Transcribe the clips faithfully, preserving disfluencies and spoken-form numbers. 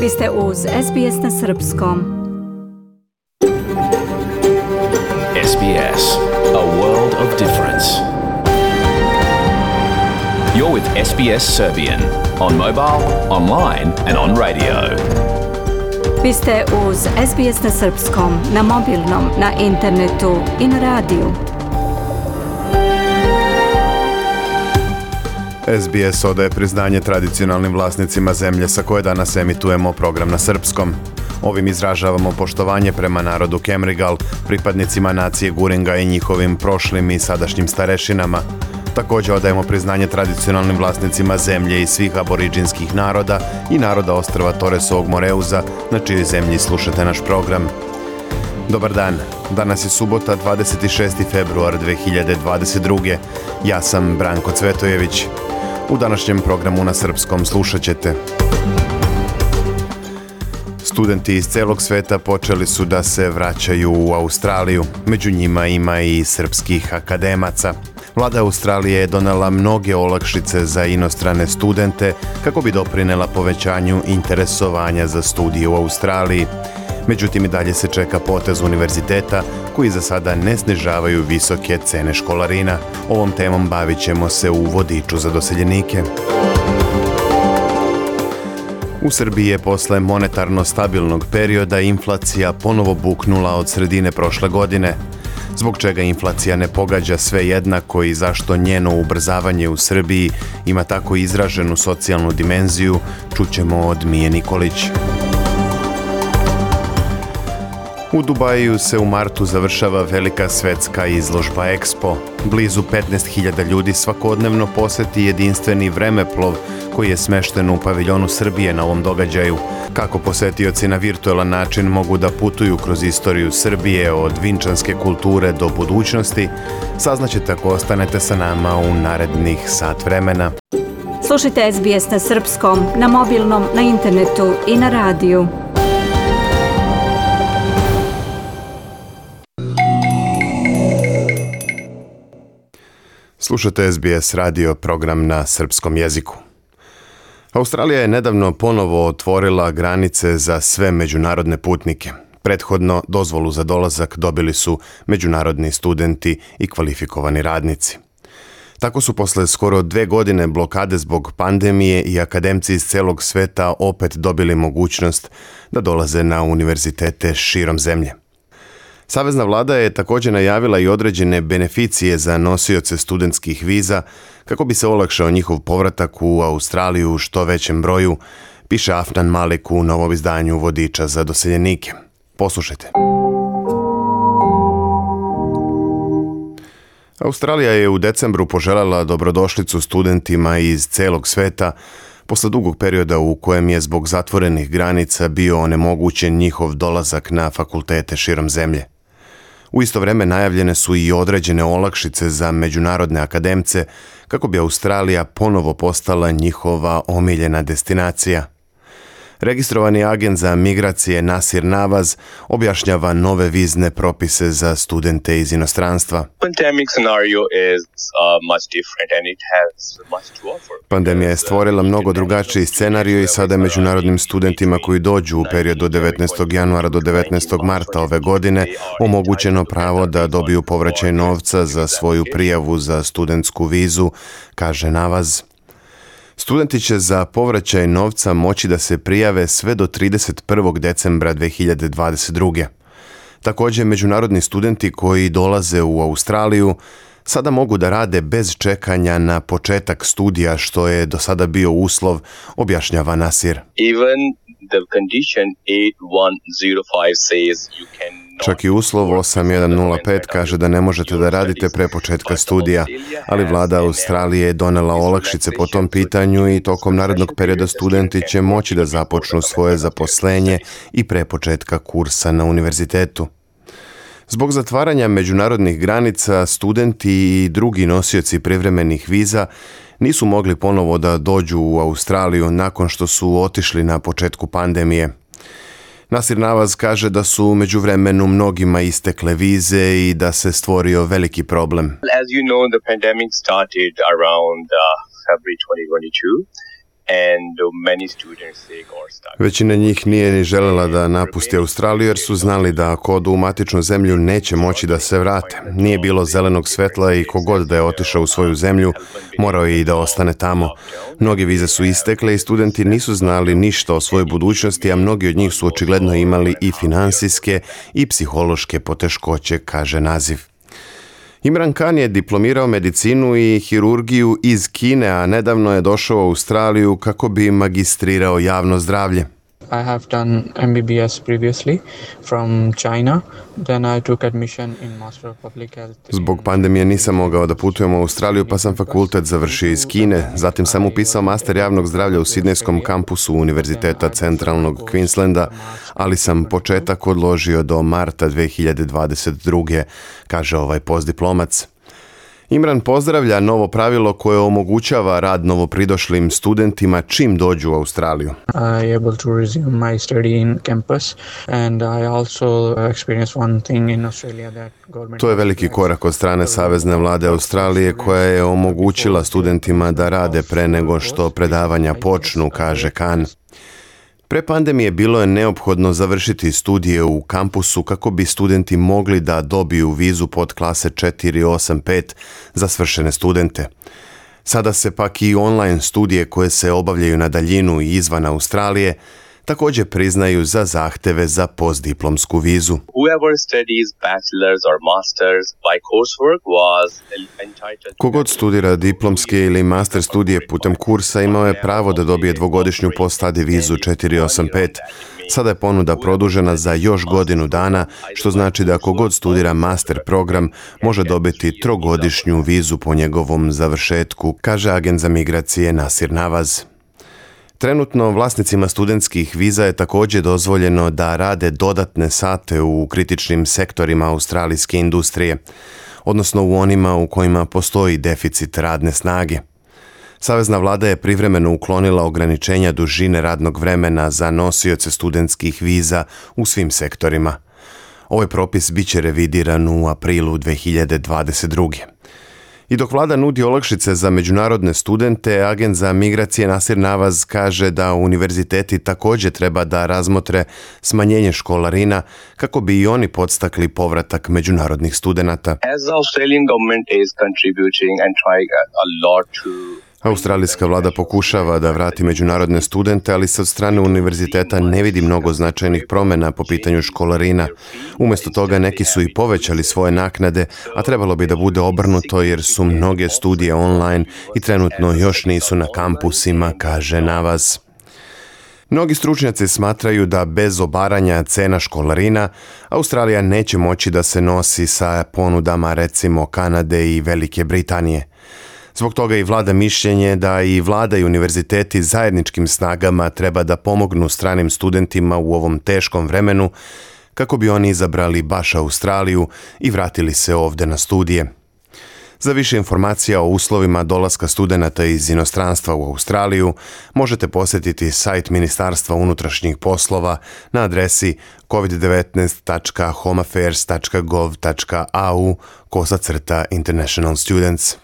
Vi ste uz S B S na srpskom. S B S, a world of difference. You're with S B S Serbian on mobile, online and on radio. Vi ste uz S B S na srpskom, na mobilnom, na internetu i na radiju. S B S odaje priznanje tradicionalnim vlasnicima zemlje sa koje danas emitujemo program na srpskom. Ovim izražavamo poštovanje prema narodu Kemrigal, pripadnicima nacije Guringa i njihovim prošlim i sadašnjim starešinama. Također odajemo priznanje tradicionalnim vlasnicima zemlje i svih aboriđinskih naroda i naroda ostrva Toresovog Moreuza, na čijoj zemlji slušate naš program. Dobar dan, danas je subota dvadeset šesti februar dve hiljade dvadeset druge. Ja sam Branko Cvetojević. U današnjem programu na srpskom slušat ćete: studenti iz celog sveta počeli su da se vraćaju u Australiju. Među njima ima i srpskih akademaca. Vlada Australije je donela mnoge olakšice za inostrane studente kako bi doprinela povećanju interesovanja za studije u Australiji. Međutim, i dalje se čeka potez univerziteta koji za sada ne snižavaju visoke cene školarina. Ovom temom bavit ćemo se u vodiču za doseljenike. U Srbiji je posle monetarno stabilnog perioda inflacija ponovo buknula od sredine prošle godine. Zbog čega inflacija ne pogađa sve jednako i zašto njeno ubrzavanje u Srbiji ima tako izraženu socijalnu dimenziju, čućemo od Mije Nikolić. U Dubaju se u martu završava velika svetska izložba Expo. Blizu petnaest hiljada ljudi svakodnevno poseti jedinstveni vremeplov koji je smešten u paviljonu Srbije na ovom događaju. Kako posetioci na virtualan način mogu da putuju kroz istoriju Srbije od vinčanske kulture do budućnosti, saznaćete ako ostanete sa nama u narednih sat vremena. Slušajte S B S na srpskom, na mobilnom, na internetu i na radiju. Slušate S B S radio, program na srpskom jeziku. Australija je nedavno ponovo otvorila granice za sve međunarodne putnike. Prethodno dozvolu za dolazak dobili su međunarodni studenti i kvalifikovani radnici. Tako su posle skoro dve godine blokade zbog pandemije i akademci iz celog sveta opet dobili mogućnost da dolaze na univerzitete širom zemlje. Savezna vlada je također najavila i određene beneficije za nosioce studentskih viza kako bi se olakšao njihov povratak u Australiju u što većem broju, piše Afnan Malik u novom izdanju vodiča za doseljenike. Poslušajte. Australija je u decembru poželjela dobrodošlicu studentima iz celog sveta posle dugog perioda u kojem je zbog zatvorenih granica bio onemogućen njihov dolazak na fakultete širom zemlje. U isto vrijeme najavljene su i određene olakšice za međunarodne akademce kako bi Australija ponovo postala njihova omiljena destinacija. Registrovani agent za migracije Nasir Nawaz objašnjava nove vizne propise za studente iz inostranstva. Pandemija je stvorila mnogo drugačiji scenarij i sada je međunarodnim studentima koji dođu u periodu od devetnaestog januara do devetnaestog marta ove godine omogućeno pravo da dobiju povraćaj novca za svoju prijavu za studentsku vizu, kaže Nawaz. Studenti će za povraćaj novca moći da se prijave sve do trideset prvog decembra dve hiljade dvadeset druge. Također, međunarodni studenti koji dolaze u Australiju sada mogu da rade bez čekanja na početak studija, što je do sada bio uslov, objašnjava Nasir. Even the condition eight one zero five says you can Čak i uslov osam jedan nula pet kaže da ne možete da radite pre početka studija, ali vlada Australije je donela olakšice po tom pitanju i tokom narednog perioda studenti će moći da započnu svoje zaposlenje i pre početka kursa na univerzitetu. Zbog zatvaranja međunarodnih granica, studenti i drugi nosioci privremenih viza nisu mogli ponovo da dođu u Australiju nakon što su otišli na početku pandemije. Nasir Nawaz kaže da su u međuvremenu mnogima istekle vize i da se stvorio veliki problem. As you know, the pandemic started around uh, February twenty twenty-two. and many students they got stuck. Većina njih nije ni željela da napusti Australiju jer su znali da ako odu u matičnu zemlju neće moći da se vrate. Nije bilo zelenog svetla i kogod da je otišao u svoju zemlju, morao je i da ostane tamo. Mnoge vize su istekle i studenti nisu znali ništa o svojoj budućnosti, a mnogi od njih su očigledno imali i finansijske i psihološke poteškoće, kaže naziv. Imran Khan je diplomirao medicinu i hirurgiju iz Kine, a nedavno je došao u Australiju kako bi magistrirao javno zdravlje. I have done M B B S previously from China. Then I took admission in Master of Public Health. Zbog pandemije nisam mogao da putujem u Australiju, pa sam fakultet završio iz Kine. Zatim sam upisao master javnog zdravlja u Sidnejskom kampusu Univerziteta centralnog Queenslanda, ali sam početak odložio do marta dve hiljade dvadeset druge, kaže ovaj postdiplomac. Imran pozdravlja novo pravilo koje omogućava rad novopridošlim studentima čim dođu u Australiju. I able to resume my study in campus and I also experienced one thing in Australia that government. To je veliki korak od strane Savezne vlade Australije koja je omogućila studentima da rade pre nego što predavanja počnu, kaže Khan. Pre pandemije bilo je neophodno završiti studije u kampusu kako bi studenti mogli da dobiju vizu pod klase četiri osam pet za svršene studente. Sada se pak i online studije koje se obavljaju na daljinu i izvan Australije također priznaju za zahteve za postdiplomsku vizu. Whoever studies bachelor's or master's by coursework was entitled. Kogod studira diplomske ili master studije putem kursa imao je pravo da dobije dvogodišnju post-study vizu četiri osam pet. Sada je ponuda produžena za još godinu dana, što znači da kogod studira master program može dobiti trogodišnju vizu po njegovom završetku, kaže agent za migracije Nasir Navaz. Trenutno vlasnicima studentskih viza je također dozvoljeno da rade dodatne sate u kritičnim sektorima australijske industrije, odnosno u onima u kojima postoji deficit radne snage. Savezna vlada je privremeno uklonila ograničenja dužine radnog vremena za nosioce studentskih viza u svim sektorima. Ovaj propis bit će revidiran u aprilu dve hiljade dvadeset druge. I dok vlada nudi olakšice za međunarodne studente, agent za migracije Nasir Navaz kaže da univerziteti također treba da razmotre smanjenje školarina kako bi i oni podstakli povratak međunarodnih studenata. As the Australian government is contributing and trying a lot to Australijska vlada pokušava da vrati međunarodne studente, ali se od strane univerziteta ne vidi mnogo značajnih promjena po pitanju školarina. Umjesto toga neki su i povećali svoje naknade, a trebalo bi da bude obrnuto jer su mnoge studije online i trenutno još nisu na kampusima, kaže Navaz. Mnogi stručnjaci smatraju da bez obaranja cena školarina Australija neće moći da se nosi sa ponudama recimo Kanade i Velike Britanije. Zbog toga i vlada mišljenje da i vlada i univerziteti zajedničkim snagama treba da pomognu stranim studentima u ovom teškom vremenu kako bi oni izabrali baš Australiju i vratili se ovdje na studije. Za više informacija o uslovima dolaska studenata iz inostranstva u Australiju možete posjetiti sajt Ministarstva unutrašnjih poslova na adresi covid devetnaest tačka home affairs tačka gov tačka a u kosacrta international students.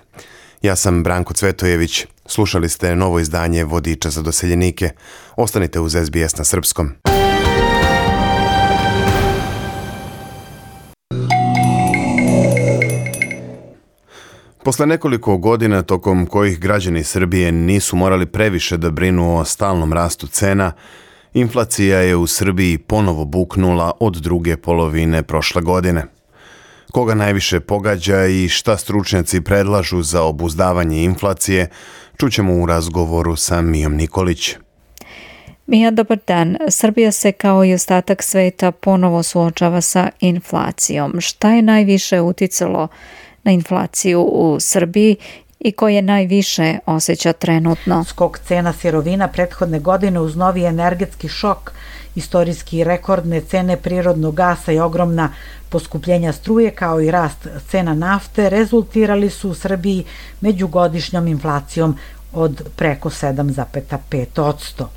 Ja sam Branko Cvetojević. Slušali ste novo izdanje Vodiča za doseljenike. Ostanite uz S B S na srpskom. Posle nekoliko godina tokom kojih građani Srbije nisu morali previše da brinu o stalnom rastu cena, inflacija je u Srbiji ponovo buknula od druge polovine prošle godine. Koga najviše pogađa i šta stručnjaci predlažu za obuzdavanje inflacije, čućemo u razgovoru sa Mijom Nikolić. Mija, dobar dan. Srbija se kao i ostatak sveta ponovo suočava sa inflacijom. Šta je najviše uticalo na inflaciju u Srbiji i koje najviše osjeća trenutno? Skok cena sirovina prethodne godine uz novi energetski šok, istorijski rekordne cene prirodnog gasa i ogromna poskupljenja struje kao i rast cena nafte rezultirali su u Srbiji međugodišnjom inflacijom od preko sedam zarez pet posto.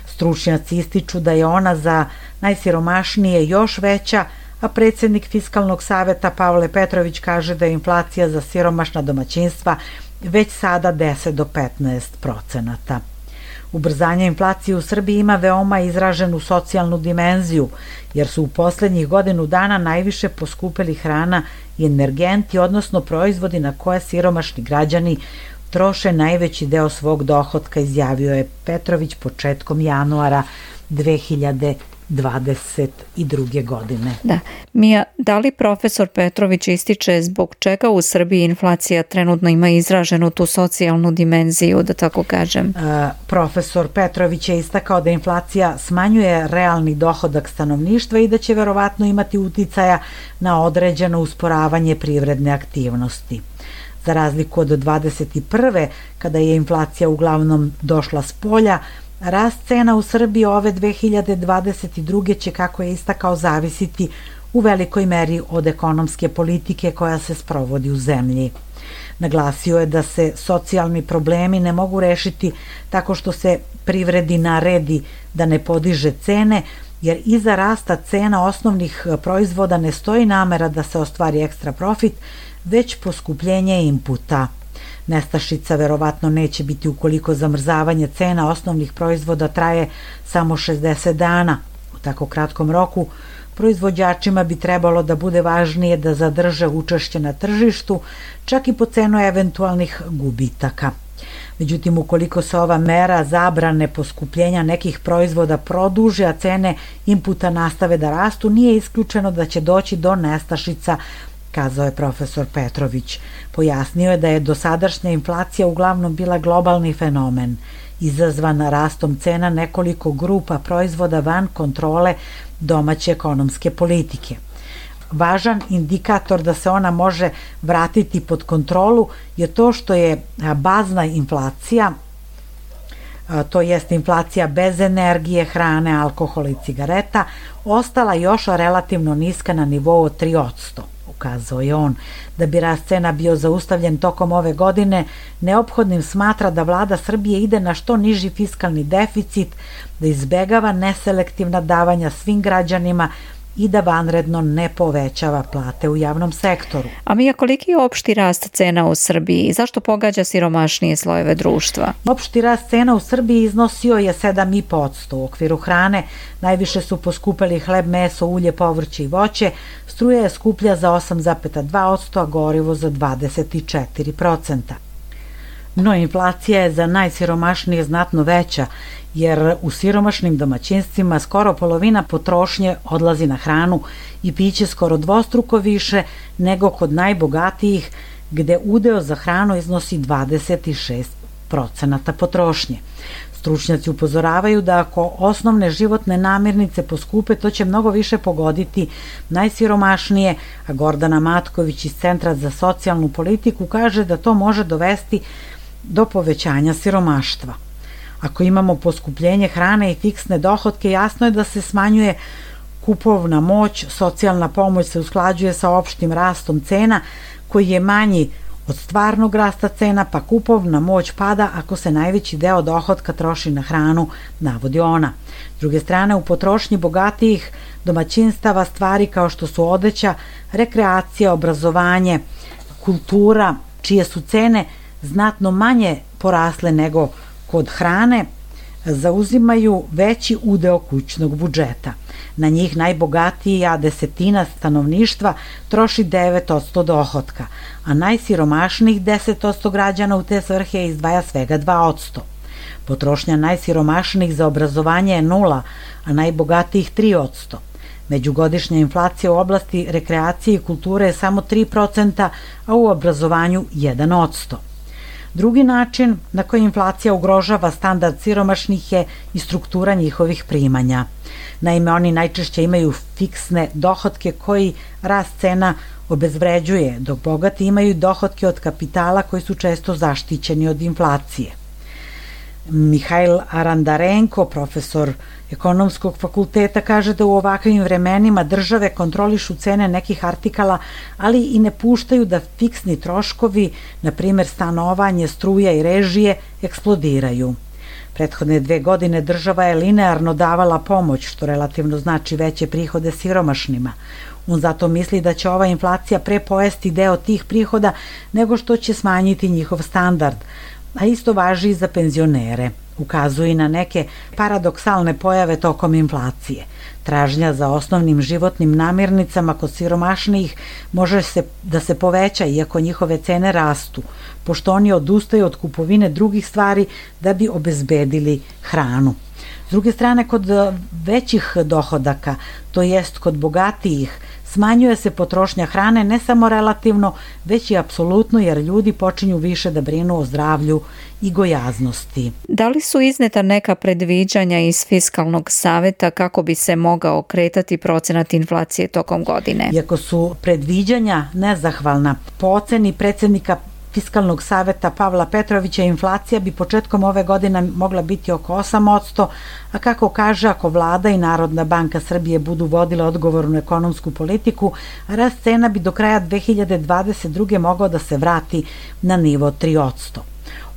Stručnjaci ističu da je ona za najsiromašnije još veća, a predsjednik Fiskalnog saveta Pavle Petrović kaže da je inflacija za siromašna domaćinstva već sada deset do petnaest procenata. Ubrzanje inflacije u Srbiji ima veoma izraženu socijalnu dimenziju, jer su u poslednjih godinu dana najviše poskupeli hrana i energenti, odnosno proizvodi na koje siromašni građani troše najveći deo svog dohotka, izjavio je Petrović početkom januara dve hiljade dvadeset druge. godine. Da. Mija, da li profesor Petrović ističe zbog čega u Srbiji inflacija trenutno ima izraženu tu socijalnu dimenziju, da tako kažem? E, profesor Petrović je istakao da inflacija smanjuje realni dohodak stanovništva i da će verovatno imati uticaja na određeno usporavanje privredne aktivnosti. Za razliku od dvadeset prve. kada je inflacija uglavnom došla s polja, rast cena u Srbiji ove dve hiljade dvadeset druge. će, kako je istakao, zavisiti u velikoj meri od ekonomske politike koja se sprovodi u zemlji. Naglasio je da se socijalni problemi ne mogu rešiti tako što se privredi naredi da ne podiže cene, jer iza rasta cena osnovnih proizvoda ne stoji namera da se ostvari ekstra profit, već poskupljenje inputa. Nestašica verovatno neće biti ukoliko zamrzavanje cena osnovnih proizvoda traje samo šezdeset dana. U tako kratkom roku proizvođačima bi trebalo da bude važnije da zadrže učešće na tržištu, čak i po cenu eventualnih gubitaka. Međutim, ukoliko se ova mera zabrane poskupljenja nekih proizvoda produže, a cene inputa nastave da rastu, nije isključeno da će doći do nestašica, kazao je profesor Petrović. Pojasnio je da je dosadašnja inflacija uglavnom bila globalni fenomen, izazvan rastom cena nekoliko grupa proizvoda van kontrole domaće ekonomske politike. Važan indikator da se ona može vratiti pod kontrolu je to što je bazna inflacija, to jest inflacija bez energije, hrane, alkohola i cigareta, ostala još relativno niska na nivou od tri posto. Ukazao je on. Da bi rast cena bio zaustavljen tokom ove godine, neophodnim smatra da vlada Srbije ide na što niži fiskalni deficit, da izbegava neselektivna davanja svim građanima i da vanredno ne povećava plate u javnom sektoru. A Mija, koliki je opšti rast cena u Srbiji i zašto pogađa siromašnije slojeve društva? Opšti rast cena u Srbiji iznosio je sedam i po posto. U okviru hrane najviše su poskupeli hleb, meso, ulje, povrće i voće, struja je skuplja za osam zarez dva posto, a gorivo za dvadeset četiri posto. No, inflacija je za najsiromašnije znatno veća, jer u siromašnim domaćinstvima skoro polovina potrošnje odlazi na hranu i piće skoro dvostruko više nego kod najbogatijih, gde udeo za hranu iznosi dvadeset šest procenata potrošnje. Stručnjaci upozoravaju da ako osnovne životne namirnice poskupe, to će mnogo više pogoditi najsiromašnije, a Gordana Matković iz Centra za socijalnu politiku kaže da to može dovesti do povećanja siromaštva. Ako imamo poskupljenje hrane i fiksne dohotke, jasno je da se smanjuje kupovna moć, socijalna pomoć se usklađuje sa opštim rastom cena koji je manji od stvarnog rasta cena, pa kupovna moć pada ako se najveći deo dohotka troši na hranu, navodi ona. S druge strane, u potrošnji bogatijih domaćinstava stvari kao što su odeća, rekreacija, obrazovanje, kultura, čije su cene znatno manje porasle nego kod hrane, zauzimaju veći udeo kućnog budžeta. Na njih najbogatija desetina stanovništva troši devet posto dohotka, a najsiromašnijih deset posto građana u te svrhe izdvaja svega dva posto. Potrošnja najsiromašnijih za obrazovanje je nula, a najbogatijih tri posto. Međugodišnja inflacija u oblasti rekreacije i kulture je samo tri posto, a u obrazovanju jedan posto. Drugi način na koji inflacija ugrožava standard siromašnih je i struktura njihovih primanja. Naime, oni najčešće imaju fiksne dohotke koji rast cena obezvređuje, dok bogati imaju dohotke od kapitala koji su često zaštićeni od inflacije. Mihajl Arandarenko, profesor ekonomskog fakulteta, kaže da u ovakvim vremenima države kontrolišu cene nekih artikala, ali i ne puštaju da fiksni troškovi, na primjer stanovanje, struja i režije, eksplodiraju. Prethodne dve godine država je linearno davala pomoć, što relativno znači veće prihode siromašnima. On zato misli da će ova inflacija pre pojesti deo tih prihoda nego što će smanjiti njihov standard. a isto važi i za penzionere. Ukazuje na neke paradoksalne pojave tokom inflacije. Tražnja za osnovnim životnim namirnicama kod siromašnijih može se da se poveća iako njihove cene rastu, pošto oni odustaju od kupovine drugih stvari da bi obezbedili hranu. S druge strane, kod većih dohodaka, to jest kod bogatijih, smanjuje se potrošnja hrane ne samo relativno, već i apsolutno, jer ljudi počinju više da brinu o zdravlju i gojaznosti. Da li su izneta neka predviđanja iz Fiskalnog saveta kako bi se mogao kretati procenat inflacije tokom godine? Iako su predviđanja nezahvalna, po oceni predsjednika Fiskalnog saveta Pavla Petrovića, inflacija bi početkom ove godine mogla biti oko osam posto, a kako kaže, ako vlada i Narodna banka Srbije budu vodile odgovornu ekonomsku politiku, rast cena bi do kraja dve hiljade dvadeset druge mogao da se vrati na nivo tri posto.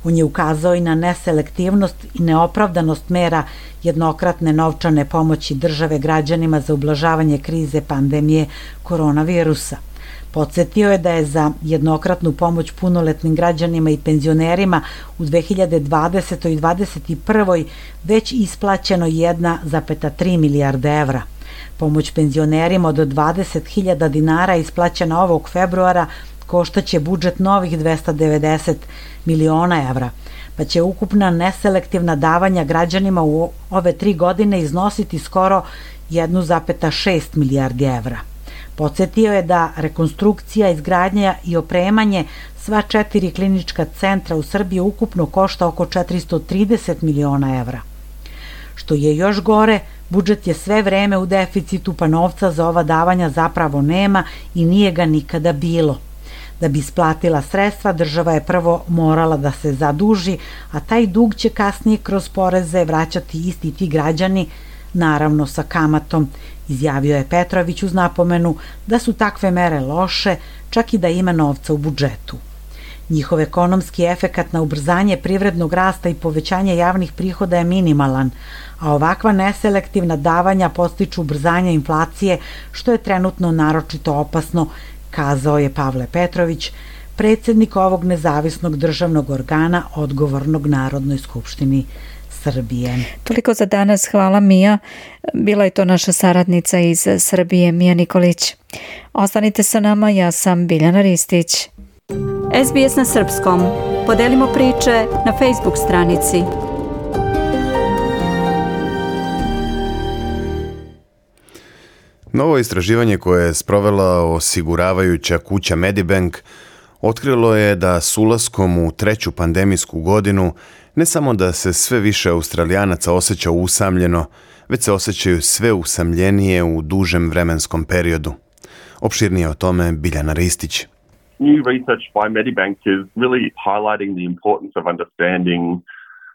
On je ukazao i na neselektivnost i neopravdanost mera jednokratne novčane pomoći države građanima za ublažavanje krize pandemije koronavirusa. Podsjetio je da je za jednokratnu pomoć punoletnim građanima i penzionerima u dve hiljade dvadesetoj i dvadeset prvoj već isplaćeno jedna zarez tri milijarde evra. Pomoć penzionerima od dvadeset hiljada dinara isplaćena ovog februara koštaće budžet novih dvesta devedeset miliona evra, pa će ukupna neselektivna davanja građanima u ove tri godine iznositi skoro jedna zarez šest milijardi evra. Podsjetio je da rekonstrukcija, izgradnja i opremanje sva četiri klinička centra u Srbiji ukupno košta oko četiristo trideset miliona evra. Što je još gore, budžet je sve vreme u deficitu, pa novca za ova davanja zapravo nema i nije ga nikada bilo. Da bi isplatila sredstva, država je prvo morala da se zaduži, a taj dug će kasnije kroz poreze vraćati isti ti građani, naravno sa kamatom, izjavio je Petrović uz napomenu da su takve mere loše, čak i da ima novca u budžetu. Njihov ekonomski efekat na ubrzanje privrednog rasta i povećanje javnih prihoda je minimalan, a ovakva neselektivna davanja podstiču ubrzanje inflacije, što je trenutno naročito opasno, kazao je Pavle Petrović, predsjednik ovog nezavisnog državnog organa odgovornog Narodnoj skupštini Srbije. Toliko za danas, hvala Mija. Bila je to naša saradnica iz Srbije, Mija Nikolić. Ostanite sa nama, ja sam Biljana Ristić. S B S na srpskom. Podelimo priče na Facebook stranici. Novo istraživanje koje je sprovela osiguravajuća kuća Medibank otkrilo je da s ulaskom u treću pandemijsku godinu ne samo da se sve više Australijanaca osjeća usamljeno, već se osjećaju sve usamljenije u dužem vremenskom periodu. Opširnije o tome Biljana Ristić. New research by Medibank is really highlighting the importance of understanding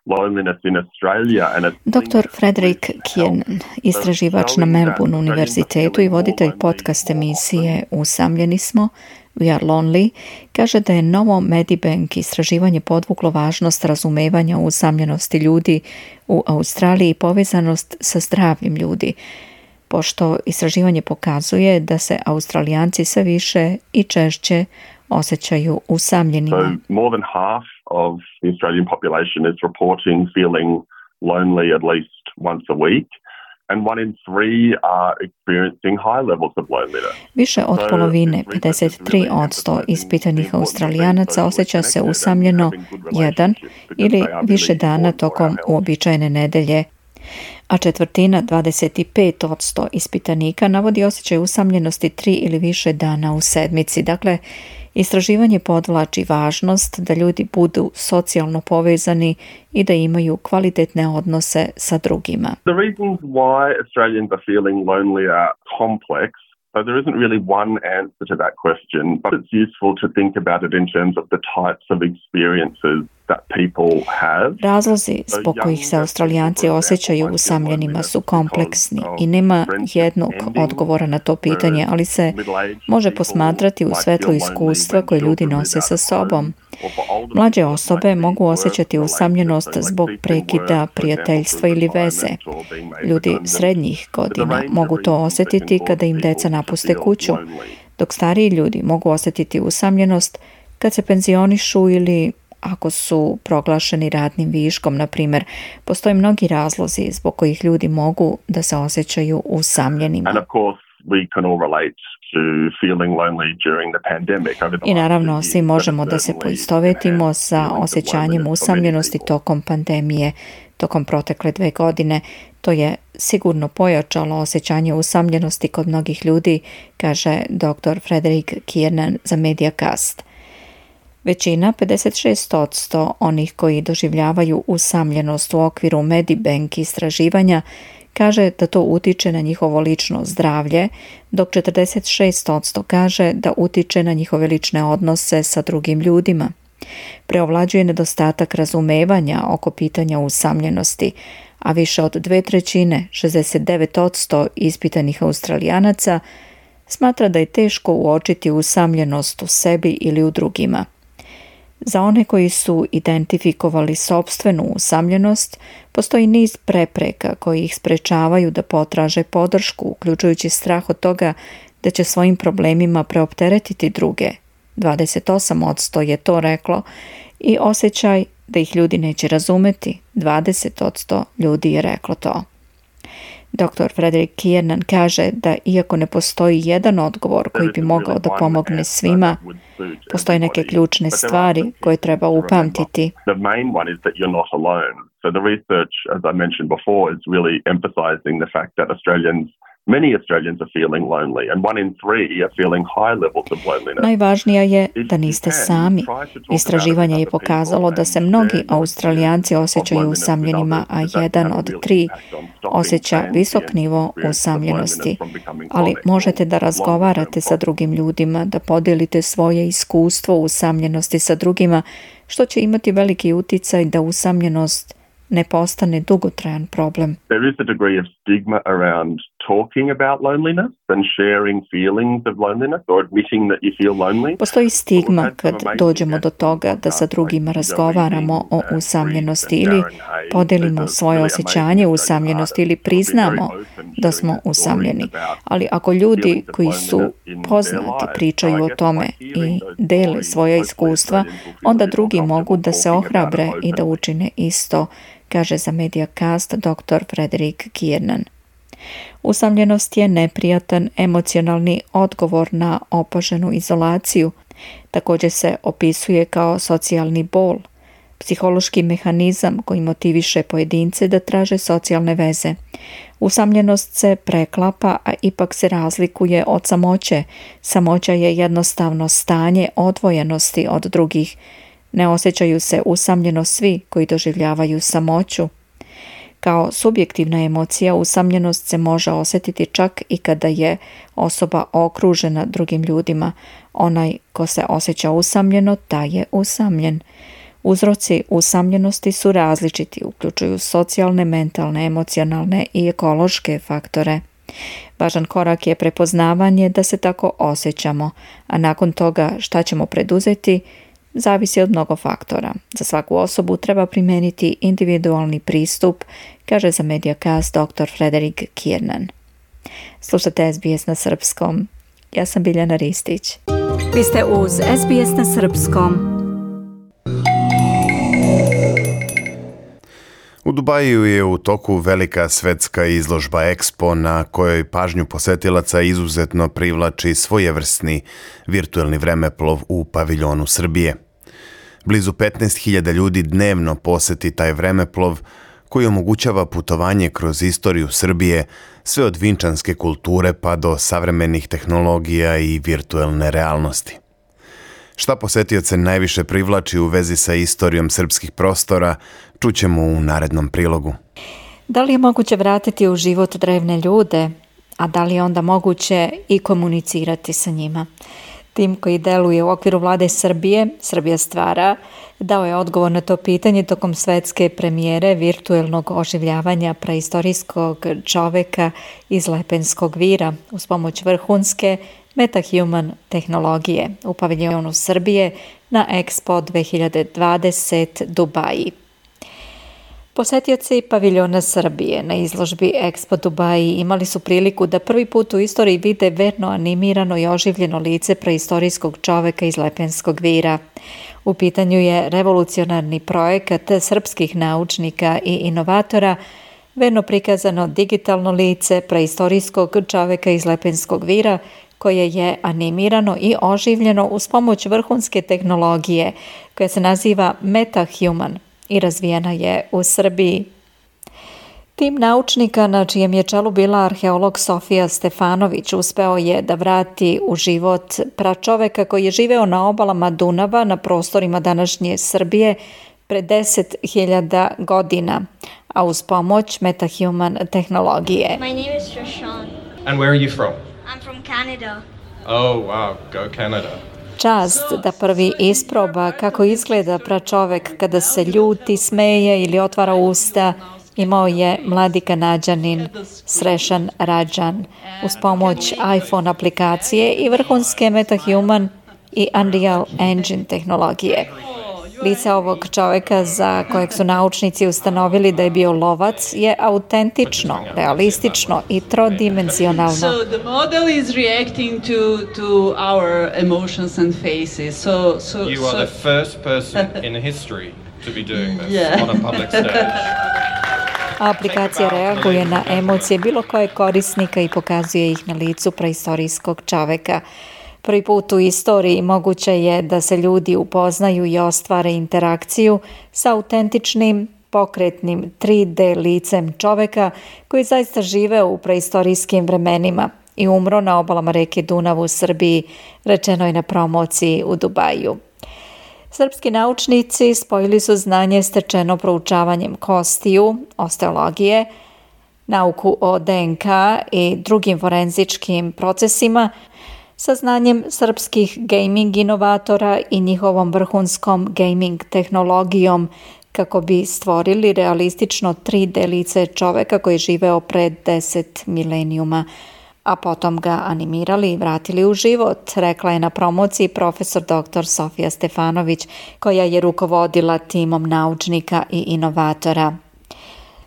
loneliness in Australia. doktor Frederick Kiernan, istraživač na Melbourne univerzitetu i voditelj podcast emisije Usamljeni smo, We are lonely, kaže da je novo Medibank istraživanje podvuklo važnost razumevanja usamljenosti ljudi u Australiji i povezanost sa zdravljem ljudi, pošto istraživanje pokazuje da se Australijanci sve više i češće osjećaju usamljenima. So more than half of the Australian population is reporting feeling lonely at least once a week. And one in three are experiencing high levels of loneliness. Više od polovine, pedeset tri posto ispitanih Australijanaca osjeća se usamljeno jedan ili više dana tokom uobičajene nedelje, a četvrtina, dvadeset pet posto ispitanika navodi osjećaj usamljenosti tri ili više dana u sedmici. Dakle, istraživanje podvlači važnost da ljudi budu socijalno povezani i da imaju kvalitetne odnose sa drugima. The reasons why Australians are feeling lonely are complex. So there isn't really one answer to that question, but it's useful to think about it in terms of the types of experiences that people have. Razlozi zbog kojih se Australijanci osjećaju usamljenima su kompleksni i nema jednog odgovora na to pitanje, ali se može posmatrati u svetlu iskustva koje ljudi nose sa sobom. Mlađe osobe mogu osjećati usamljenost zbog prekida prijateljstva ili veze. Ljudi srednjih godina mogu to osjetiti kada im deca napuste kuću, dok stariji ljudi mogu osjetiti usamljenost kad se penzionišu ili ako su proglašeni radnim viškom, na primjer. Postoje mnogi razlozi zbog kojih ljudi mogu da se osjećaju usamljenima. And of course, we can all relate to feeling lonely during the pandemic. I naravno, svi možemo da se poistovetimo sa osjećanjem usamljenosti tokom pandemije, tokom protekle dve godine. To je sigurno pojačalo osjećanje usamljenosti kod mnogih ljudi, kaže doktor Frederick Kiernan za Mediacast. Većina, pedeset šest posto onih koji doživljavaju usamljenost u okviru Medibank istraživanja, kaže da to utiče na njihovo lično zdravlje, dok četrdeset šest posto kaže da utiče na njihove lične odnose sa drugim ljudima. Preovlađuje nedostatak razumevanja oko pitanja usamljenosti, a više od dve trećine, šezdeset devet posto ispitanih Australijanaca, smatra da je teško uočiti usamljenost u sebi ili u drugima. Za one koji su identifikovali sopstvenu usamljenost, postoji niz prepreka koji ih sprečavaju da potraže podršku, uključujući strah od toga da će svojim problemima preopteretiti druge. dvadeset osam posto je to reklo i osjećaj da ih ljudi neće razumeti. dvadeset posto ljudi je reklo to. doktor Frederick Kiernan kaže da iako ne postoji jedan odgovor koji bi mogao da pomogne svima, postoje neke ključne stvari koje treba upamtiti. The main one is that you're not alone. So the research, as I mentioned before, is really emphasizing the fact that Australians Many Australians are feeling lonely, and one in three are feeling high levels of loneliness. Najvažnija je da niste sami. Istraživanje je pokazalo da se mnogi Australijanci osjećaju usamljenima, a jedan od tri osjeća visok nivo usamljenosti. Ali možete da razgovarate sa drugim ljudima, da podijelite svoje iskustvo usamljenosti sa drugima, što će imati veliki uticaj da usamljenost ne postane dugotrajan problem. There is a degree of stigma around talking about loneliness and sharing feelings of loneliness or admitting that you feel lonely. Postoji stigma kad dođemo do toga da sa drugima razgovaramo o usamljenosti ili podelimo svoje osjećanje usamljenosti ili priznamo da smo usamljeni. Ali ako ljudi koji su poznati pričaju o tome i dele svoja iskustva, onda drugi mogu da se ohrabre i da učine isto, kaže za Mediacast doktor Frederick Kiernan. Usamljenost je neprijatan emocionalni odgovor na opaženu izolaciju. Također se opisuje kao socijalni bol, psihološki mehanizam koji motiviše pojedince da traže socijalne veze. Usamljenost se preklapa, a ipak se razlikuje od samoće. Samoća je jednostavno stanje odvojenosti od drugih. Ne osjećaju se usamljeno svi koji doživljavaju samoću. Kao subjektivna emocija, usamljenost se može osjetiti čak i kada je osoba okružena drugim ljudima. Onaj ko se osjeća usamljeno, taj je usamljen. Uzroci usamljenosti su različiti, uključuju socijalne, mentalne, emocionalne i ekološke faktore. Važan korak je prepoznavanje da se tako osjećamo, a nakon toga šta ćemo preduzeti, zavisi od mnogo faktora. Za svaku osobu treba primijeniti individualni pristup, kaže za Mediacast doktor Frederick Kiernan. Slušate S B S na srpskom. Ja sam Biljana Ristić. Vi ste uz S B S na srpskom. U Dubaju je u toku velika svetska izložba Expo na kojoj pažnju posetilaca izuzetno privlači svojevrsni virtuelni vremeplov u paviljonu Srbije. Blizu petnaest hiljada ljudi dnevno poseti taj vremeplov koji omogućava putovanje kroz istoriju Srbije, sve od vinčanske kulture pa do savremenih tehnologija i virtuelne realnosti. Šta posetioce najviše privlači u vezi sa istorijom srpskih prostora, čućemo u narednom prilogu. Da li je moguće vratiti u život drevne ljude, a da li je onda moguće i komunicirati sa njima? Tim koji deluje u okviru vlade Srbije, Srbija stvara, dao je odgovor na to pitanje tokom svetske premijere virtuelnog oživljavanja preistorijskog čoveka iz Lepenskog vira uz pomoć vrhunske MetaHuman tehnologije u paviljonu Srbije na Expo dve hiljade dvadeset Dubaji. Posetioci paviljona Srbije na izložbi Expo Dubai imali su priliku da prvi put u istoriji vide verno animirano i oživljeno lice preistorijskog čoveka iz Lepenskog vira. U pitanju je revolucionarni projekat srpskih naučnika i inovatora, verno prikazano digitalno lice preistorijskog čoveka iz Lepenskog vira, koje je animirano i oživljeno uz pomoć vrhunske tehnologije koja se naziva MetaHuman i razvijena je u Srbiji. Tim naučnika, na čijem je čelu bila arheolog Sofija Stefanović, uspeo je da vrati u život pračoveka koji je živeo na obalama Dunava na prostorima današnje Srbije pre deset hiljada godina, a uz pomoć MetaHuman tehnologije. My name is Shashan. And where are you from? I'm from Canada. Oh, wow, go Canada. Čast da prvi isproba kako izgleda pračovek kada se ljuti, smeje ili otvara usta imao je mladi Kanađanin Srešan Rađan uz pomoć iPhone aplikacije i vrhunske MetaHuman i Unreal Engine tehnologije. Lice ovog čoveka, za kojeg su naučnici ustanovili da je bio lovac, je autentično, realistično i trodimenzionalno. So the model is reacting to to our emotions and faces. So so You are so, the first person in history to be doing this Yeah. on a public stage. A aplikacija reaguje na emocije bilo kojeg korisnika i pokazuje ih na licu preistorijskog čoveka. Prvi put u istoriji moguće je da se ljudi upoznaju i ostvare interakciju sa autentičnim, pokretnim tri D licem čoveka koji zaista žive u preistorijskim vremenima i umro na obalama reke Dunav u Srbiji, rečeno je na promociji u Dubaju. Srpski naučnici spojili su znanje stečeno proučavanjem kostiju, osteologije, nauku o D N K i drugim forenzičkim procesima sa znanjem srpskih gaming inovatora i njihovom vrhunskom gaming tehnologijom kako bi stvorili realistično tri D lice čoveka koji je živeo pred deset milenijuma, a potom ga animirali i vratili u život, rekla je na promociji profesor doktor Sofija Stefanović, koja je rukovodila timom naučnika i inovatora.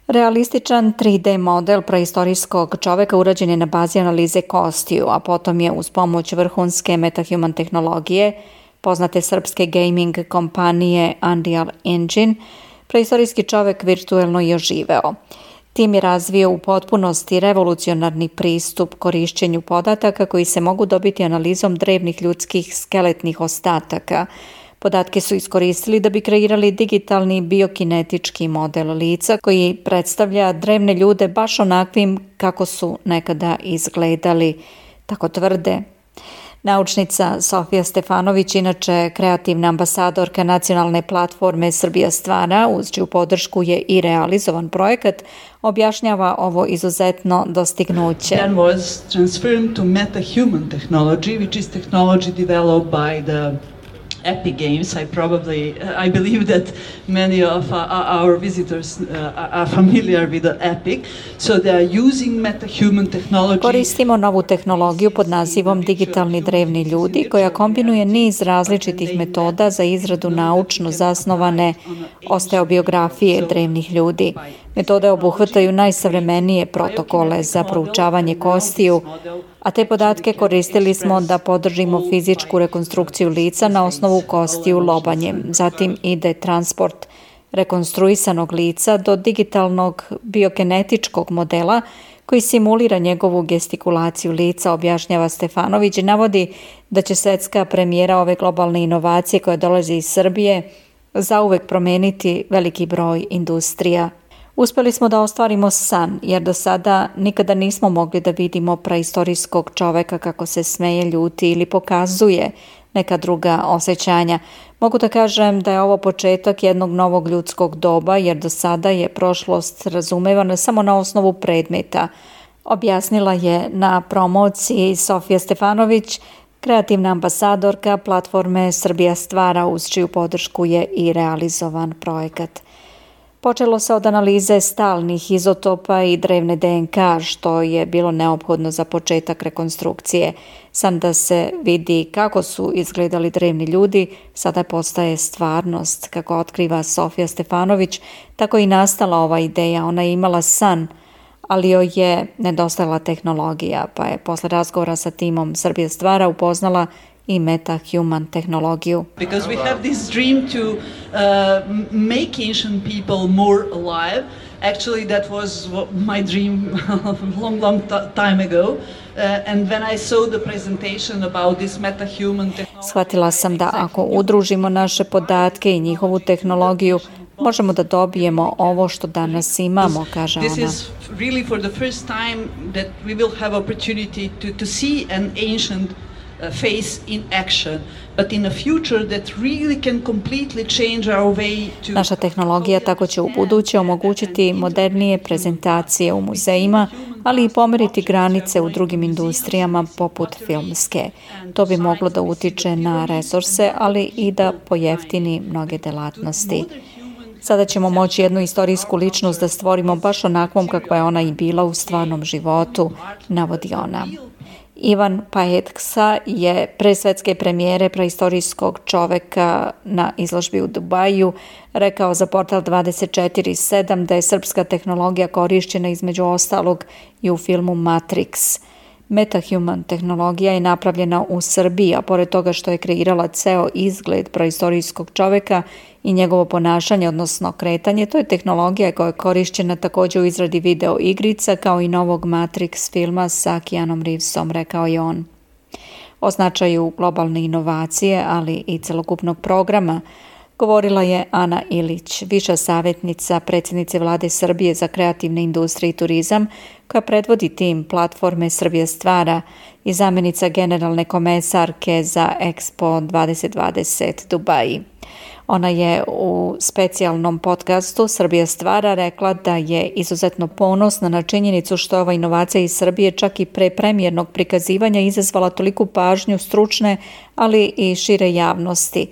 Realističan tri D model preistorijskog čoveka urađen je na bazi analize kostiju, a potom je uz pomoć vrhunske MetaHuman tehnologije, poznate srpske gaming kompanije Unreal Engine, preistorijski čovek virtuelno je oživeo. Tim je razvio u potpunosti revolucionarni pristup korišćenju podataka koji se mogu dobiti analizom drevnih ljudskih skeletnih ostataka. Podatke su iskoristili da bi kreirali digitalni biokinetički model lica koji predstavlja drevne ljude baš onakvim kako su nekada izgledali, tako tvrde. Naučnica Sofija Stefanović, inače kreativna ambasadorka nacionalne platforme Srbija stvara, uz čiju podršku je i realizovan projekat, objašnjava ovo izuzetno dostignuće. Then was transferred to MetaHuman technology, which is technology developed by the Epic Games. I probably, I believe that many of uh, our visitors uh, are familiar with the Epic. So they are using MetaHuman technology. Koristimo novu tehnologiju pod nazivom digitalni drevni ljudi, koja kombinuje niz različitih metoda za izradu naučno zasnovane osteobiografije drevnih ljudi. Metode obuhvataju najsavremenije protokole za proučavanje kostiju, a te podatke koristili smo da podržimo fizičku rekonstrukciju lica na osnovu kostiju lobanjem. Zatim ide transport rekonstruisanog lica do digitalnog biokinetičkog modela koji simulira njegovu gestikulaciju lica, objašnjava Stefanović i navodi da će svetska premijera ove globalne inovacije koja dolazi iz Srbije zauvek promeniti veliki broj industrija. Uspeli smo da ostvarimo san, jer do sada nikada nismo mogli da vidimo preistorijskog čoveka kako se smeje, ljuti ili pokazuje neka druga osjećanja. Mogu da kažem da je ovo početak jednog novog ljudskog doba, jer do sada je prošlost razumevana samo na osnovu predmeta, objasnila je na promociji Sofija Stefanović, kreativna ambasadorka platforme Srbija stvara, uz čiju podršku je i realizovan projekat. Počelo se od analize stalnih izotopa i drevne D N K, što je bilo neophodno za početak rekonstrukcije. Sam da se vidi kako su izgledali drevni ljudi, sada postaje stvarnost. Kako otkriva Sofija Stefanović, tako i nastala ova ideja. Ona je imala san, ali joj je nedostajala tehnologija, pa je posle razgovora sa timom Srbija stvara upoznala i MetaHuman tehnologiju. Because we have this dream to uh, make ancient people more alive. Actually, that was my dream long, long time ago. Uh, and when I saw the presentation about this MetaHuman technology... Shvatila sam da ako udružimo naše podatke i njihovu tehnologiju, možemo da dobijemo ovo što danas imamo, kaže ona. This is really for the first time that we will have opportunity to, to see an ancient face in action, but in a future that really can completely change our way to... Naša tehnologija tako će u buduće omogućiti modernije prezentacije u muzejima, ali i pomeriti granice u drugim industrijama poput filmske. To bi moglo da utiče na resurse, ali i da pojeftini mnoge delatnosti. Sada ćemo moći jednu istorijsku ličnost da stvorimo baš onakvom kakva je ona i bila u stvarnom životu, navodi ona. Ivan Pajetksa je pre svetske premijere praistorijskog čoveka na izložbi u Dubaju rekao za portal dvadeset četiri sedam da je srpska tehnologija korišćena između ostalog i u filmu Matrix. MetaHuman tehnologija je napravljena u Srbiji, a pored toga što je kreirala ceo izgled praistorijskog čoveka i njegovo ponašanje, odnosno kretanje, to je tehnologija koja je korišćena također u izradi video igrica kao i novog Matrix filma sa Keanom Reevesom, rekao je on. O značaju globalne inovacije, ali i celokupnog programa, govorila je Ana Ilić, viša savjetnica predsjednice Vlade Srbije za kreativne industrije i turizam, koja predvodi tim platforme Srbija stvara i zamjenica generalne komesarke za Expo dvadeset dvadeset Dubaji. Ona je u specijalnom podcastu Srbija stvara rekla da je izuzetno ponosna na činjenicu što je ova inovacija iz Srbije čak i pre premijernog prikazivanja izazvala toliku pažnju stručne, ali i šire javnosti,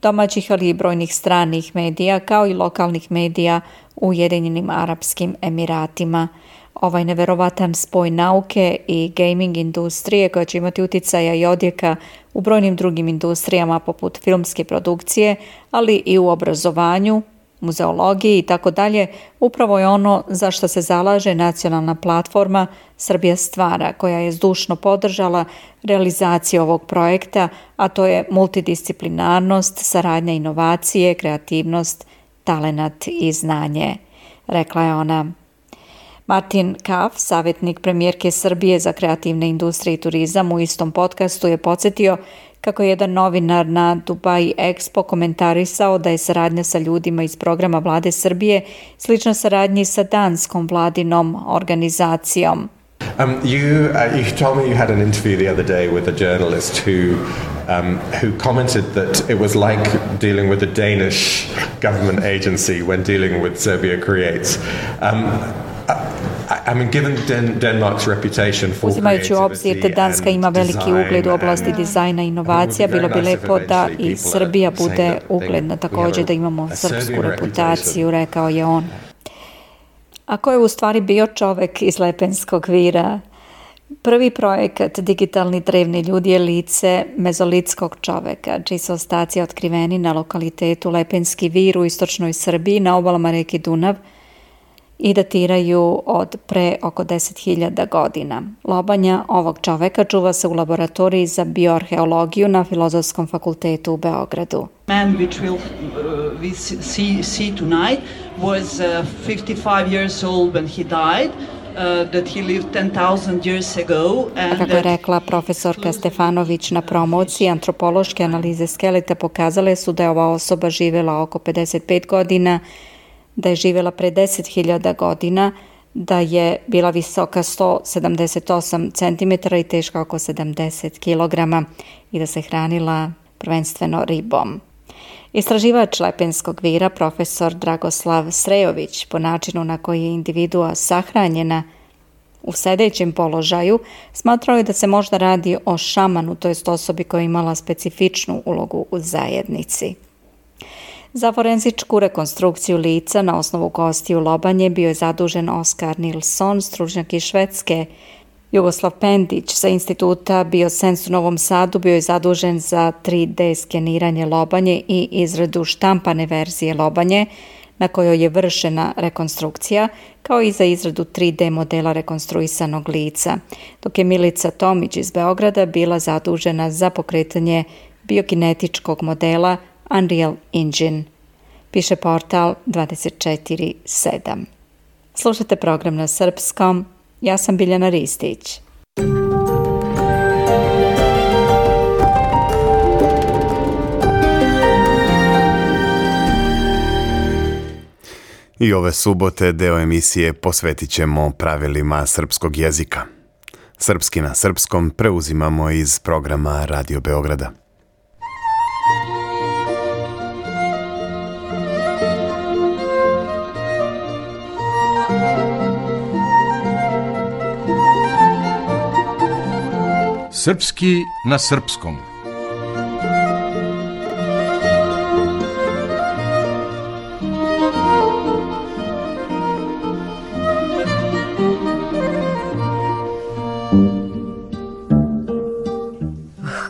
domaćih ali i brojnih stranih medija kao i lokalnih medija u Ujedinjenim Arapskim Emiratima. Ovaj neverovatan spoj nauke i gaming industrije koja će imati uticaja i odjeka u brojnim drugim industrijama poput filmske produkcije, ali i u obrazovanju, muzeologiji i tako dalje, upravo je ono za što se zalaže nacionalna platforma Srbija stvara, koja je zdušno podržala realizaciju ovog projekta, a to je multidisciplinarnost, saradnja inovacije, kreativnost, talenat i znanje, rekla je ona. Martin Kaf, savjetnik premijerke Srbije za kreativne industrije i turizam, u istom podcastu je podsjetio kako je jedan novinar na Dubai Expo komentarisao da je saradnja sa ljudima iz programa Vlade Srbije slična saradnji sa danskom vladinom organizacijom. Um, you, uh, you told me you had an interview the other day with a journalist who um, who commented that it was like dealing with a Danish government agency when dealing with Serbia Creates. Um, I mean, given Den- Denmark's reputation for Uzimajući u obzir da Danska ima veliki ugled u oblasti dizajna i inovacija, bilo bi lepo da i Srbija bude ugledna, također da imamo srpsku reputaciju, rekao je on. A ko je u stvari bio čovek iz Lepenskog vira? Prvi projekat Digitalni drevni ljudi je lice mezolitskog čoveka, čiji su ostaci otkriveni na lokalitetu Lepenski vir u istočnoj Srbiji na obalama reke Dunav i datiraju od pre oko deset hiljada godina. Lobanja ovog čoveka čuva se u laboratoriji za bioarheologiju na Filozofskom fakultetu u Beogradu. Man which will, uh, we see, see tonight was uh, fifty-five years old when he died. Uh, that he lived ten thousand years ago. And kako je rekla profesorka Stefanović na promociji, antropološke analize skeleta pokazale su da je ova osoba živjela oko pedeset pet godina, da je živjela pre deset hiljada godina, da je bila visoka sto sedamdeset osam centimetara i teška oko sedamdeset kilograma i da se hranila prvenstveno ribom. Istraživač Lepenskog vira, profesor Dragoslav Srejović, po načinu na koji je individua sahranjena u sedećem položaju, smatrao je da se možda radi o šamanu, to jest osobi koja je imala specifičnu ulogu u zajednici. Za forenzičku rekonstrukciju lica na osnovu kostiju lobanje bio je zadužen Oskar Nilsson, stručnjak iz Švedske. Jugoslav Pendić sa instituta Biosens u Novom Sadu bio je zadužen za tri D skeniranje lobanje i izradu štampane verzije lobanje, na kojoj je vršena rekonstrukcija, kao i za izradu tri D modela rekonstruisanog lica, dok je Milica Tomić iz Beograda bila zadužena za pokretanje biokinetičkog modela Unreal Engine, piše portal dvadeset četiri sedam. Slušate program na srpskom, ja sam Biljana Ristić. I ove subote deo emisije posvetit ćemo pravilima srpskog jezika. Srpski na srpskom preuzimamo iz programa Radio Beograda. Srpski na srpskom.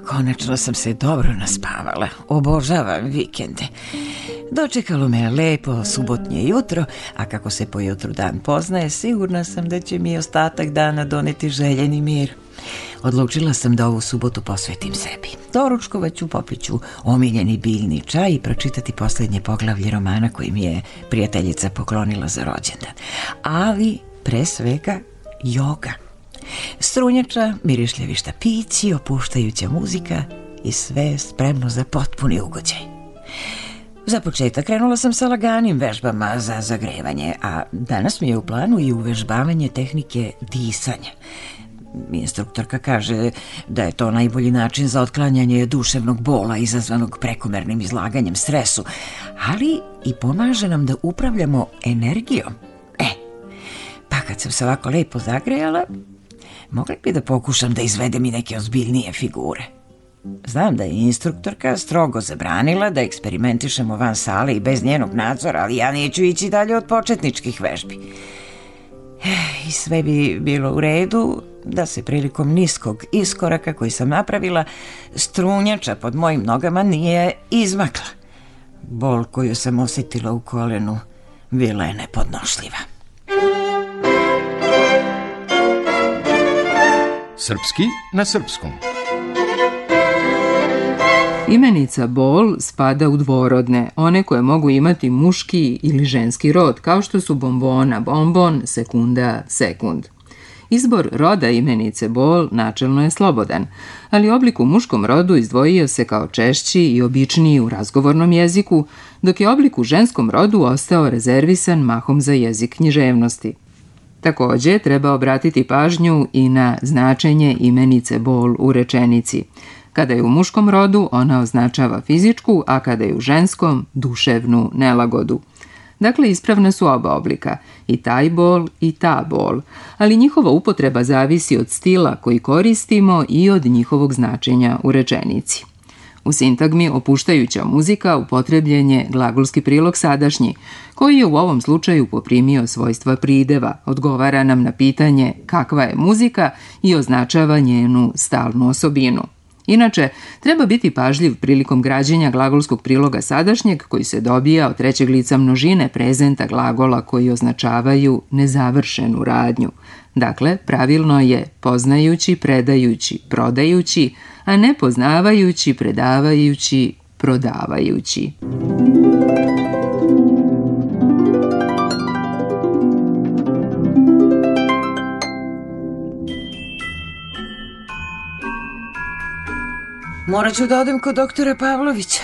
Konačno sam se dobro naspavala. Obožavam vikende. Dočekalo me lepo subotnje jutro, a kako se po jutru dan poznaje, sigurna sam da će mi ostatak dana doneti željeni mir. Odlučila sam da ovu subotu posvetim sebi. Doručkovat ću, popit ću omiljeni biljni čaj i pročitati posljednje poglavlje romana koji mi je prijateljica poklonila za rođendan. Ali, pre svega, joga. Strunjača, mirišljavi štapići, opuštajuća muzika i sve spremno za potpuni ugođaj. Za početak krenula sam sa laganim vežbama za zagrevanje, a danas mi je u planu i uvežbavanje tehnike disanja. Instruktorka kaže da je to najbolji način za otklanjanje duševnog bola izazvanog prekomernim izlaganjem stresu, ali i pomaže nam da upravljamo energijom. E, pa kad sam se ovako lepo zagrejala, mogla bi da pokušam da izvedem i neke ozbiljnije figure. Znam da je instruktorka strogo zabranila da eksperimentišemo van sale i bez njenog nadzora, ali ja neću ići dalje od početničkih vežbi. I sve bi bilo u redu da se prilikom niskog iskoraka koji sam napravila, strunjača pod mojim nogama nije izmakla. Bol koju sam osjetila u kolenu bila je nepodnošljiva. Srpski na srpskom. Imenica bol spada u dvorodne, one koje mogu imati muški ili ženski rod, kao što su bombona, bombon, sekunda, sekund. Izbor roda imenice bol načelno je slobodan, ali oblik u muškom rodu izdvojio se kao češći i običniji u razgovornom jeziku, dok je oblik u ženskom rodu ostao rezervisan mahom za jezik književnosti. Također treba obratiti pažnju i na značenje imenice bol u rečenici. Kada je u muškom rodu, ona označava fizičku, a kada je u ženskom, duševnu nelagodu. Dakle, ispravna su oba oblika, i taj bol i ta bol, ali njihova upotreba zavisi od stila koji koristimo i od njihovog značenja u rečenici. U sintagmi opuštajuća muzika upotrebljen je glagolski prilog sadašnji, koji je u ovom slučaju poprimio svojstva prideva, odgovara nam na pitanje kakva je muzika i označava njenu stalnu osobinu. Inače, treba biti pažljiv prilikom građenja glagolskog priloga sadašnjeg koji se dobija od trećeg lica množine prezenta glagola koji označavaju nezavršenu radnju. Dakle, pravilno je poznajući, predajući, prodajući, a ne poznavajući, predavajući, prodavajući. Morat ću da odem kod doktora Pavlovića.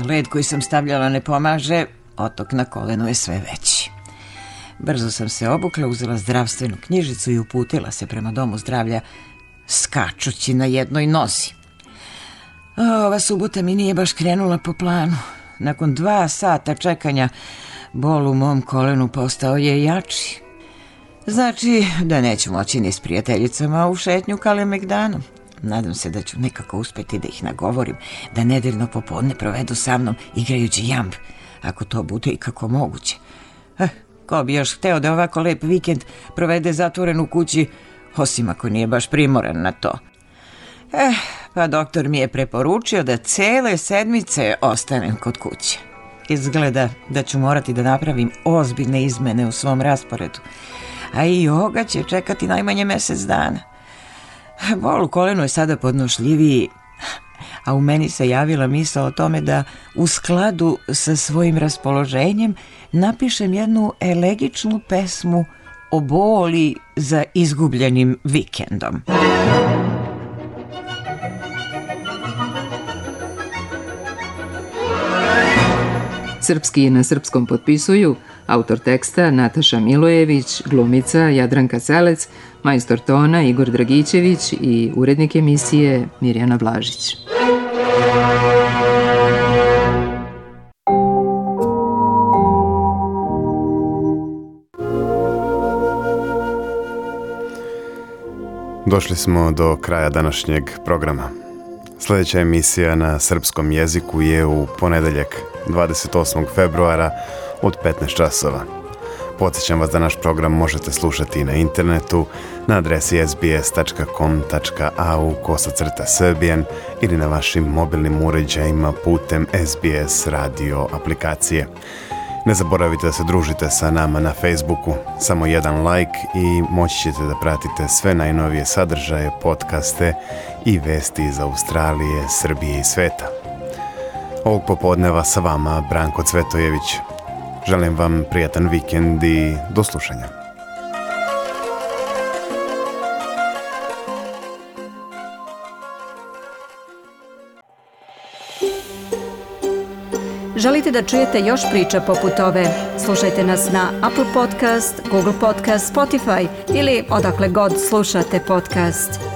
Led koji sam stavljala ne pomaže, otok na kolenu je sve veći. Brzo sam se obukla, uzela zdravstvenu knjižicu i uputila se prema domu zdravlja, skačući na jednoj nozi. A, ova subota mi nije baš krenula po planu. Nakon dva sata čekanja, bol u mom kolenu postao je jači. Znači da neću moći ni s prijateljicama u šetnju Kalemegdanom. Nadam se da ću nekako uspjeti da ih nagovorim da nedeljno popodne provedu sa mnom igrajući jamb, ako to bude i kako moguće. Eh, ko bi još hteo da ovako lep vikend provede zatvoren u kući, osim ako nije baš primoran na to. Eh, pa doktor mi je preporučio da cele sedmice ostanem kod kuće. Izgleda da ću morati da napravim ozbiljne izmene u svom rasporedu, a i joga će čekati najmanje mesec dana. Bol u kolenu je sada podnošljiviji, a u meni se javila misao o tome da u skladu sa svojim raspoloženjem napišem jednu elegičnu pesmu o boli za izgubljenim vikendom. Srpski na srpskom potpisuju autor teksta Nataša Milojević, glumica Jadranka Selec, majstor tona Igor Dragićević i urednik emisije Mirjana Blažić. Došli smo do kraja današnjeg programa. Sljedeća emisija na srpskom jeziku je u ponedeljak dvadeset osmog februara od petnaest časova. Podsjećam vas da naš program možete slušati na internetu na adresi es be es tačka com tačka a u kosacrta srbijan ili na vašim mobilnim uređajima putem es be es radio aplikacije. Ne zaboravite da se družite sa nama na Facebooku, samo jedan like i moći ćete da pratite sve najnovije sadržaje, podcaste i vesti iz Australije, Srbije i sveta. Ovog popodneva sa vama Branko Cvetojević. Želim vam prijatan vikend i do slušanja. Želite da čujete još priča poput ove? Slušajte nas na Apple Podcast, Google Podcast, Spotify ili odakle god slušate podcast.